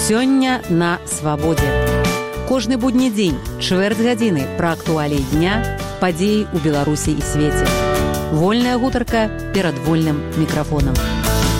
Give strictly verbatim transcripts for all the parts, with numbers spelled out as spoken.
Сёння на свабодзе. Кожны будні дзень, чвэрць гадзіны пра актуаліі дня, падзеі ў Беларусі і свеце. Вольная гутарка перад вольным мікрафонам.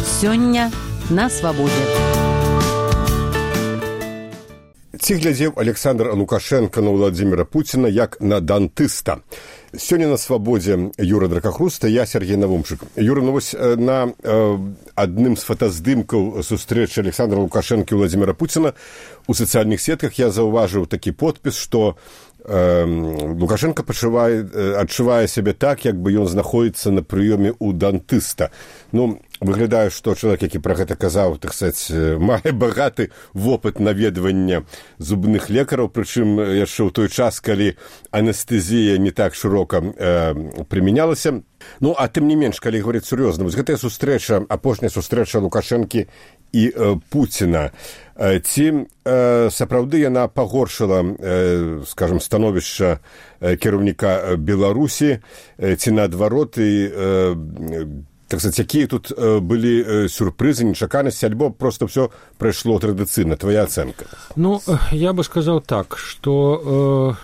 Сёння на свабодзе. Ці глядзеў Александр Лукашенко на Владзіміра Пуціна як на дантыста. Сёння на свабодзе Юра Дракахруста, я Сергей Навумчык. Юра, ну вось на э, адным з фотаздымкаў сустрэчы Александра Лукашенко і Владзіміра Пуціна у сацыяльных сетках я заўважыў такі подпіс, што э, Лукашенко пачувае, э, адчувае сябе так, як бы ён знаходзіцца на прыёме ў дантыста. Ну, выглядае, што чалавек, які пра гэта казаў, так сказаць, мае багаты вопыт наведвання зубных лекараў, прычым яшчэ ў той час, калі анестэзія не так шырока э, прымянялася. Ну, а тым не менш, калі говоріць сур'ёзна, вось гэтая сустрэча, апошняя сустрэча Лукашэнкі і э, Пуціна, э, ці э, сапраўды яна пагоршыла, э, скажам, становішча э, кіраўніка Беларусі, э, ці наадварот, і э, так сказать, якія тут э, былі э, сюрпрызы, нечаканасці, альбо просто все прайшло традыцыйна? Твоя ацэнка? Ну, я бы сказал так, что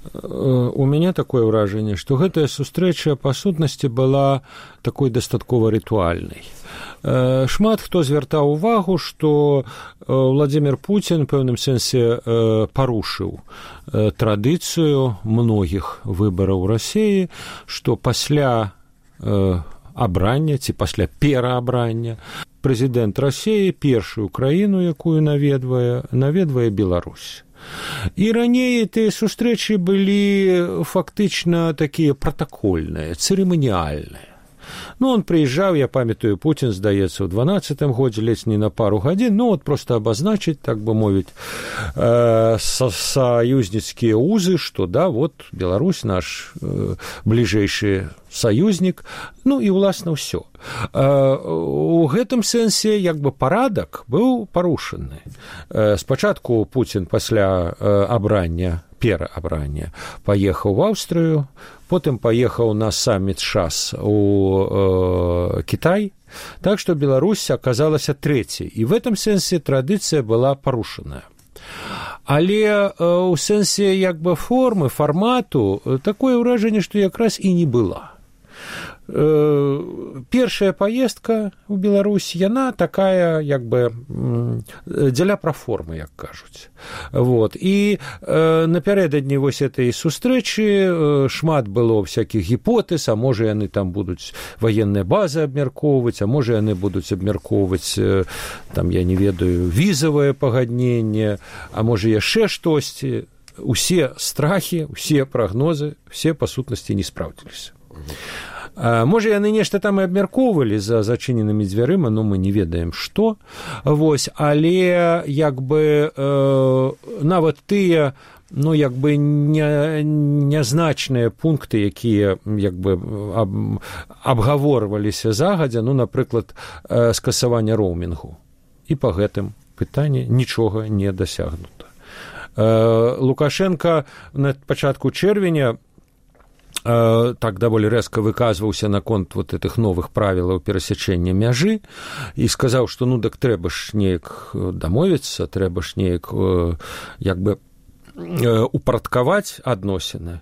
э, э, у меня такое ўражанне, што гэтая сустрэча па сутнасці была такой дастаткова рытуальнай. Э, шмат хто звяртаў увагу, што э, Владзімір Пуцін у пэўным сэнсе э, парушыў э, традыцыю многіх выбараў у Расіі, што пасля э, абрання ці пасля пераабрання прэзідэнт Расіі першую краіну, якую наведвае, наведвае Беларусь. І раней тыя сустрэчы былі фактычна такія пратакольныя, цырыманіяльныя. Ну, он прыязджаў, я памятаю, Пуцін, здаецца, ў дванаццатым годзе, ледзь не на пару гадзін, ну, вот просто абазначыць, так бы мовіць, э, са саюзніцкія узы, што, да, вот, Беларусь наш э, бліжэйшы саюзнік, ну, і, уласна, ўсё. Э, у гэтым сэнсе, як бы, парадак быў парушаны. Э, спачатку Пуцін пасля э, абрання, пераабрання, паехаў в Аўстрыю, потым паехаў на самміт ШАС у э, Кітай, так што Беларусь аказалася трэцяй, і в этом сэнсе традыцыя была парушаная. Але э, у сэнсе як бы формы, фармату, такое ўражанне, што якраз і не была. Першая паездка ў Беларусь, яна такая, як бы, дзеля праформы, як кажуць. Вот. І э, напярэдадні вось этой сустрэчы э, шмат было всякіх гіпотэз, а можа яны там будуць ваенныя базы абмяркоўваць, а можа яны будуць абмяркоўваць, э, там, я не ведаю, візавае пагадненне, а можа яшчэ штосьці. Усе страхі, усе прагнозы, все па сутнасці не спраўдзіліся. Можа, яны нешта там і абмяркоўвалі за зачыненымі дзвярыма, но мы не ведаем, што. Вось, але, як бы, э, нават тыя, ну, як бы, не, нязначныя пункты, якія, як бы, аб, абгаворваліся загадзя, ну, напрыклад, э, скасавання роумінгу. І па гэтым пытанні нічога не дасягнута. Э, Лукашенко на пачатку чэрвеня так даволі рэзка выказваўся наконт вот этих новых правілаў перасячэння мяжы і сказаў, што ну так трэба ж неяк дамовіцца, трэба ж неяк як бы упарадкаваць адносіны.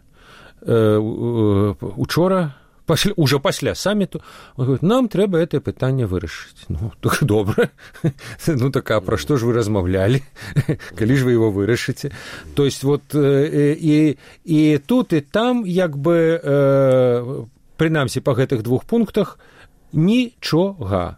Учора пасля, уже пасля самміту, он говорит, нам трэба это пытанне вырашыць. Ну, так добра. Ну, так, а пра што ж вы размаўлялі? Калі ж вы его вырашыце? То есть, вот, і, і тут, і там, як бы, э, прынамсі, па гэтых двух пунктах, нічога.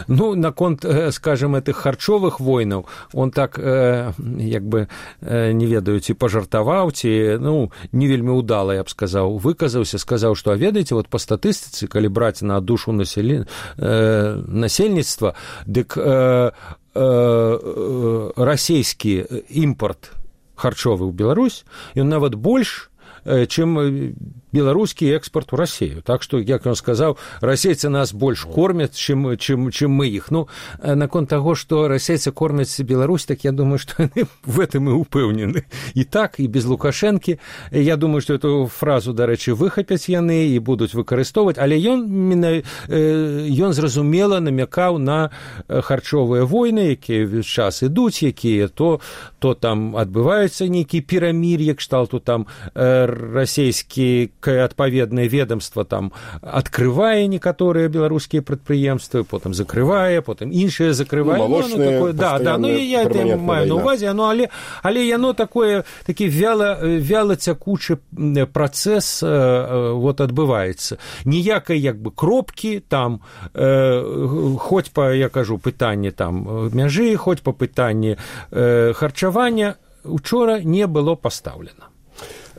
Ну, наконт, скажем, этих харчовых войнаў, он так, э, як бы, э, не ведаю, ці пажартаваў, ці, ну, не вельмі удала, я б сказаў, выказаўся, сказаў, што, а ведаеце, вот па статыстыцы, калі браць на душу населен... э, насельніцтва, дык э, э, расійскі імпорт харчовы ў Беларусь, ён нават больш, чым беларускі экспарт у Расію. Так што, як ён сказаў, расейцы нас больш кормяць, чым, чым, чым мы іх. Ну, наконт таго, што расейцы кормяць Беларусь, так я думаю, што яны в этом і упэўнены. І так, і без Лукашэнкі. Я думаю, што эту фразу, дарэчы, выхапяць яны і будуць выкарыстоўваць, але ён, ён зразумела намякаў на харчовыя войны, якія ўвесь час ідуць, якія то, то там адбываюцца нейкія перамір'і, кшталту там расійскі адпаведнае ведомство там открывае некаторыя беларускія прадпрыемствы, потым закрывае, потым іншыя закрывае. Ну, молочные, ну, такое, да, да, ну я это маю на увазе, ну, але, але яно такое, такі вяла, вяла цякучы працэс э, вот адбываецца. Ніякай як бы кропкі там, э, хоць па, я кажу, пытанне там мяжы, хоць па пытанні э, харчавання учора не было пастаўлена.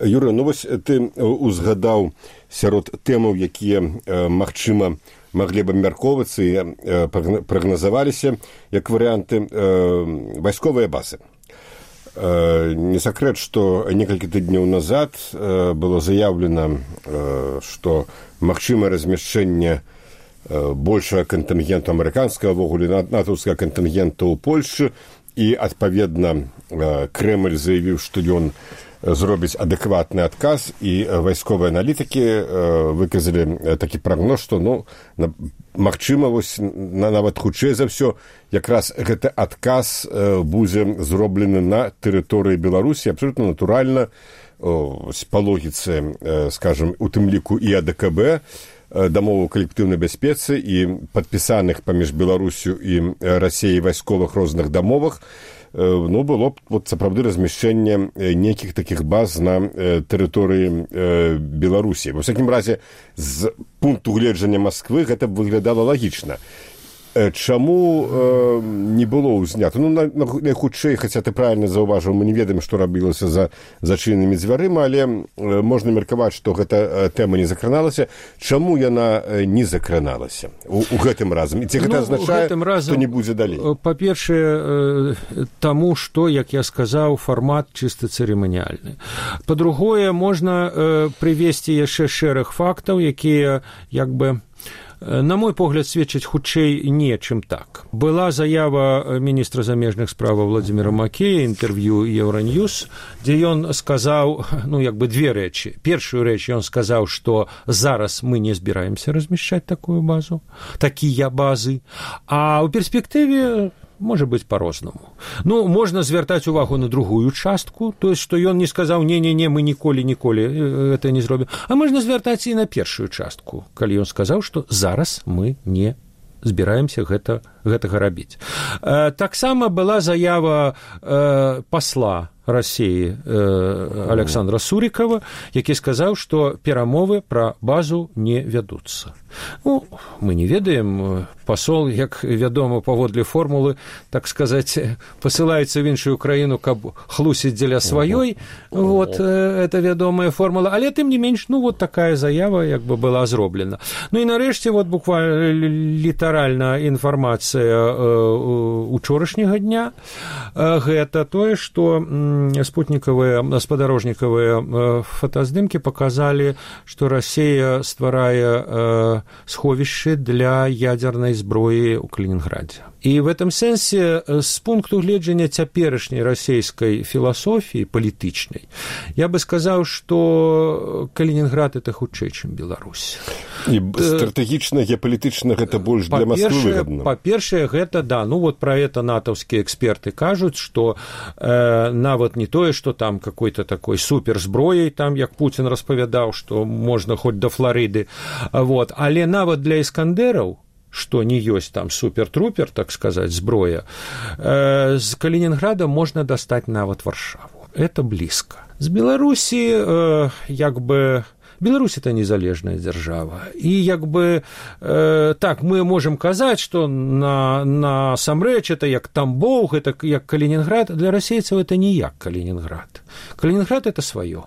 Юра, ну вось ты узгадаў сярод тэмаў, якія, магчыма, маглі б абмяркоўвацца і прагназаваліся як варыянты вайсковыя базы. Не сакрэт, што некалькі тыдняў назад было заяўлена, што магчымае размяшчэнне большага кантынгенту амерыканскага, ввогуле натаўскага кантынгента ў Польшчы, і, адпаведна, Крэмль заявіў, што ён зробіць адэкватны адказ, і вайсковыя аналітыкі выказалі такі прагноз, што, ну, магчыма, вось, нават хутчэй за ўсё, якраз гэты адказ будзе зроблены на тэрыторыі Беларусі, абсолютна натуральна, па логіцы, скажам, у тым ліку і АДКБ, дамову калектыўнай бяспецы і падпісаных паміж Беларусю і Расіяй вайсковых розных дамовах, ну, было б вот, сапраўды размяшчэнне нейкіх такіх баз на тэрыторыі Беларусі. Ва ўсякім разе, з пункту гледжання Масквы гэта выглядала лагічна. Чаму э, не было ўзнята? Ну, найхутчэй, хаця ты правильна заўважыў, мы не ведаем, што рабілася за зачыненымі дзвярыма, але э, можна меркаваць, што гэта тэма не закраналася. Чаму яна не закраналася у, у гэтым разам? І ці гэта ну, азначае, разам, што не будзе далей? Па-першае, э, таму, што, як я сказаў, фармат чыста цырыманіяльны. Па-другое, можна э, прывесці яшчэ шэраг фактаў, якія, як бы, на мой погляд, сведчыць хутчэй не, чым так. Была заява міністра замежных справаў Владзіміра Макея, інтэрв'ю Еўраньюз, дзе ён сказаў, ну, як бы, две рэчы. Першую рэч ён сказаў, што зараз мы не збіраемся размяшчаць такую базу, такія базы, а ў перспектыве можа быць па-рознаму. Ну, можна звяртаць увагу на другую частку, то есть, што ён не сказаў, не-не-не, мы ніколі-ніколі гэта не зробім. А можна звяртаць і на першую частку, калі ён сказаў, што зараз мы не збіраемся гэта, гэтага рабіць. Э, таксама была заява э, пасла Расіі э, Александра Сурікава, які сказаў, што перамовы пра базу не вядуцца. Ну, мы не ведаем, пасол, як вядома, паводле формулы, так сказаць, пасылаецца в іншую краіну, каб хлусіць дзеля сваёй, вот, это вядомая формула, але тым не менш, ну, вот такая заява, як бы, была зроблена. Ну, і нарэшце, вот, буквально літаральна інфармацыя учорашняга дня, гэта тое, што спутнікавыя, спадарожнікавыя фотаздымкі паказалі, што Расія стварае сховішчы для ядзернай зброі ў Калінінградзе. І в этом сэнсе, з пункту гледжання цяперашняй расійскай філасофіі палітычнай, я бы сказаў, што Калінінград – это хутчэй, чым Беларусь. І стратэгічна, геапалітычна гэта больш для Масквы выгадна. Па-першае, гэта, да, ну вот про это натаўскія эксперты кажуць, што э, нават не тое, што там какой-то такой суперзброяй, там, як Путін распавядаў, што можна хоць да Флорыды, вот, але нават для іскандераў, што не ёсць там супер-трупер, так сказаць, зброя, э, з Калінінграда можна дастаць нават Варшаву. Это блізка. З Беларусі, э, як бы, Беларусь – это незалежная дзяржава. І, як бы, э, так, мы можем казаць, што на, насамрэч это як Тамбов, это як Калінінград. Для расейцаў это не як Калінінград. Калінінград – это сваё.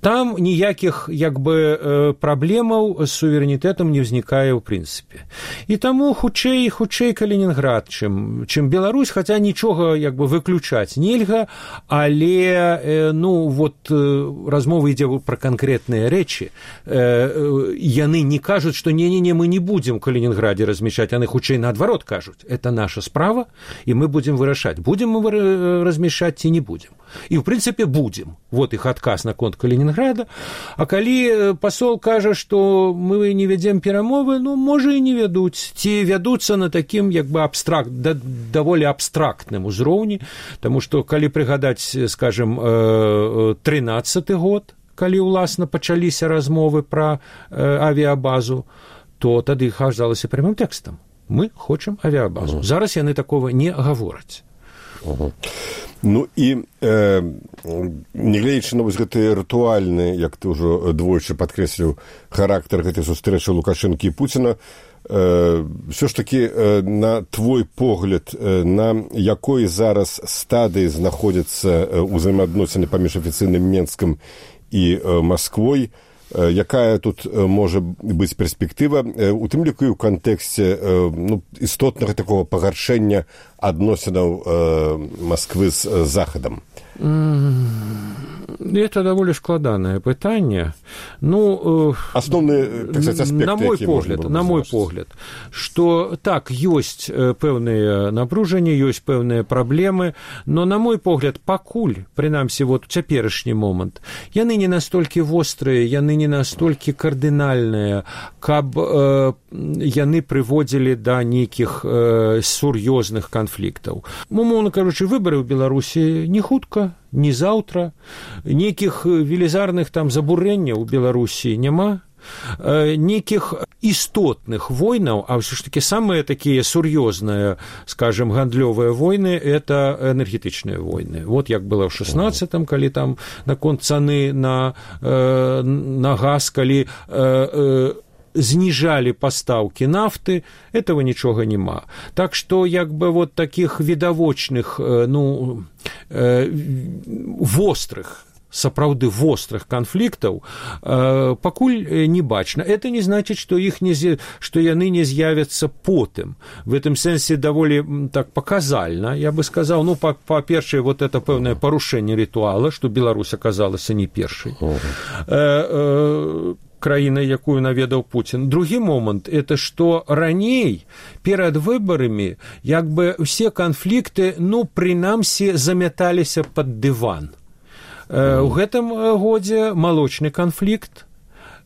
там ніякіх як бы праблемаў з суверэнітэтам не ўзнікае ў прынцыпе. І таму хутчэй хутчэй Калінінград, чым, чым Беларусь, хаця нічога як бы выключаць нельга, але ну вот размова ідзе пра канкрэтныя рэчы. Яны не кажуць, што не-не-не, мы не будзем у Калінінградзе размяшчаць, яны хутчэй наадварот кажуць, это наша справа, і мы будзем вырашаць, будзем мы размяшчаць ці не будзем. І, ў прынцыпе, будзем. Вот іх адказ наконт Калінінграда. А калі пасол кажа, што мы не вядзем перамовы, ну, можа, і не вядуць. Ці вядуцца на такім, як бы, абстракт, да, даволі абстрактным узроўні, таму што, калі прыгадаць, скажем, трынаццаты год, калі, уласна, пачаліся размовы пра авіябазу, то тады казалася прямым тэкстам. Мы хочам авіябазу. Зараз яны такого не гавораць. Угу. Ну і э, нягледзячы на вось гэты рытуальны, як ты ўжо двойчы падкрэсліў, характар гэтай сустрэчы Лукашэнкі і Пуціна, э, ўсё ж такі э, на твой погляд, э, на якой зараз стадыі знаходзяцца э, ўзаемаадносіны паміж афіцыйным Менскам і э, Масквой, э, якая тут э, можа быць перспектыва, э, у тым ліку і ў кантэксце э, ну, істотнага такого пагаршэння адносінаў э, Москвы з э, Захадам? Это даволі складанае пытанне. Ну, асноўныя, так сказать, аспекты, на мой погляд, на мой погляд, што так, ёсць пэўныя напружанні, ёсць пэўныя праблемы, но на мой погляд, пакуль, прынамсі, вот у цяперашні момант, яны не настолькі вострыя, яны не настолькі кардынальныя, каб э, яны прыводзілі да нейкіх э, сур'ёзных канфліктаў. Умоўна кажучы, выбары ў Беларусі не хутка, не заўтра, нейкіх велізарных там забурэнняў у Беларусі няма, нейкіх істотных войнаў, а ўсё ж такі самыя такія сур'ёзныя, скажем, гандлёвыя войны, это энергетычныя войны. Вот як было ў шаснаццатым, калі там наконт цаны на, на газ, калі зніжалі пастаўкі нафты, этого нічога няма. Так што, як бы, вот такіх відавочных, ну, вострых, сапраўды вострых канфліктаў э, пакуль не бачна. Это не значыць, што іх не што яны не з'явяцца потым. В этом сэнсе даволі так паказальна, я бы сказаў, ну, па-першае, вот это пэўнае парушэнне рытуала, што Беларусь аказалася не першай э, э, краінай, якую наведаў Пуцін. Другі момант, это што раней, перад выбарамі, як бы ўсе канфлікты, ну, прынамсі, замяталіся пад дыван. У гэтым годзе малочны канфлікт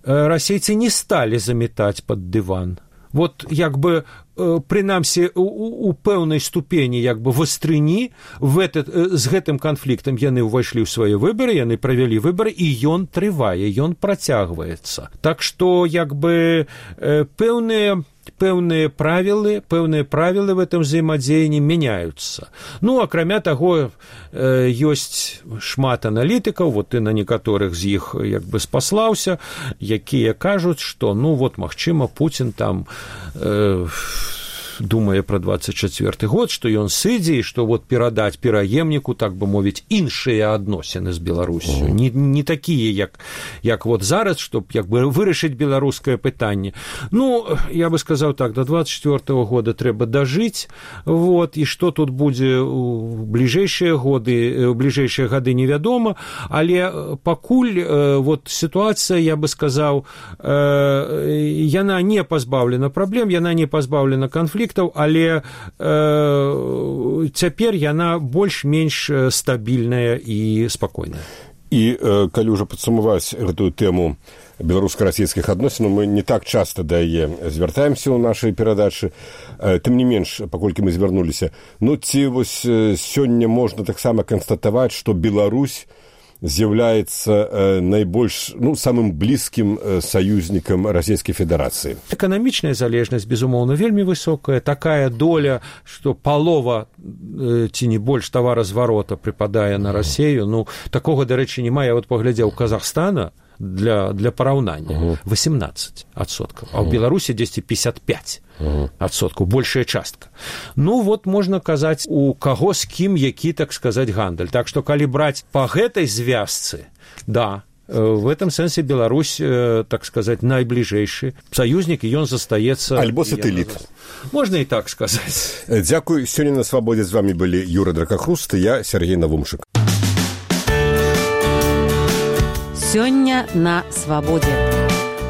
расейцы не сталі замятаць пад дыван. Вот як бы прынамсі у, у пэўнай ступені як бы вастрыні в этот, з гэтым канфліктам яны ўвайшлі ў свае выбары, яны правялі выбары, і ён трывае, ён працягваецца. Так што як бы пэўныя пэўныя правілы, пэўныя правілы в этом взаимодзеянні мяняюцца. Ну, акрамя таго, ёсць шмат аналітыкаў, вот ты на некаторых з іх як бы спаслаўся, якія кажуць, што, ну, вот, магчыма, Пуцін там э, думае пра двадцать чацвёрты год, што ён сыдзе, і што вот перадаць пераемніку, так бы мовіць, іншыя адносіны з Беларусю. Не, не такія, як, як вот зараз, чтоб як бы вырашыць беларускае пытанне. Ну, я бы сказаў так, до двадцать чацвёртага года трэба дажыць, вот, і што тут будзе у бліжэйшыя годы, у бліжэйшыя гады невядома, але пакуль вот сітуацыя, я бы сказаў, яна не пазбаўлена праблем, яна не пазбаўлена канфліктаў, але э, цяпер яна больш-менш стабільная і спакойная. І э, калі ўжо падсумаваць гэтую тэму беларуска-расійскіх адносінаў, мы не так часта да яе звяртаемся ў нашай перадачы, э, тым не менш, паколькі мы звярнуліся, ну ці вось э, сёння можна таксама канстатаваць, што Беларусь з'яўляецца э, найбольш, ну, самым блізкім э, саюзнікам Расійскай Федэрацыі. Эканамічная залежнасць, безумоўна, вельмі высокая. Такая доля, што палова э, ці не больш таваразварота прыпадае на Расію. Ну, такога, дарэчы, няма. Я вот паглядзеў Казахстана для, для параўнання. восемнадцать адсоткаў. А ў Беларусі дзесьці пятьдесят пять адсоткаў, большая частка. Ну, вот можна казаць, у каго з кім, які, так сказаць, гандаль. Так што, калі браць па гэтай звязцы, да, В этом сэнсе Беларусь, так сказать, найбліжэйшы саюзнік, і ён застаецца... Альбо сатэліт. Можна і так сказаць. Дзякуй. Сёння на свабодзе з вами былі Юра Дракахруст і я, Сергей Навумчык. Сёння на свабодзе.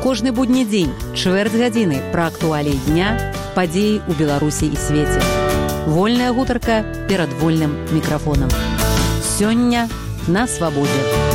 Кожны будні дзень, чвэрць гадзіны пра актуаліі дня, падзеі ў Беларусі і свеце. Вольная гутарка перад вольным мікрафонам. Сёння на свабодзе.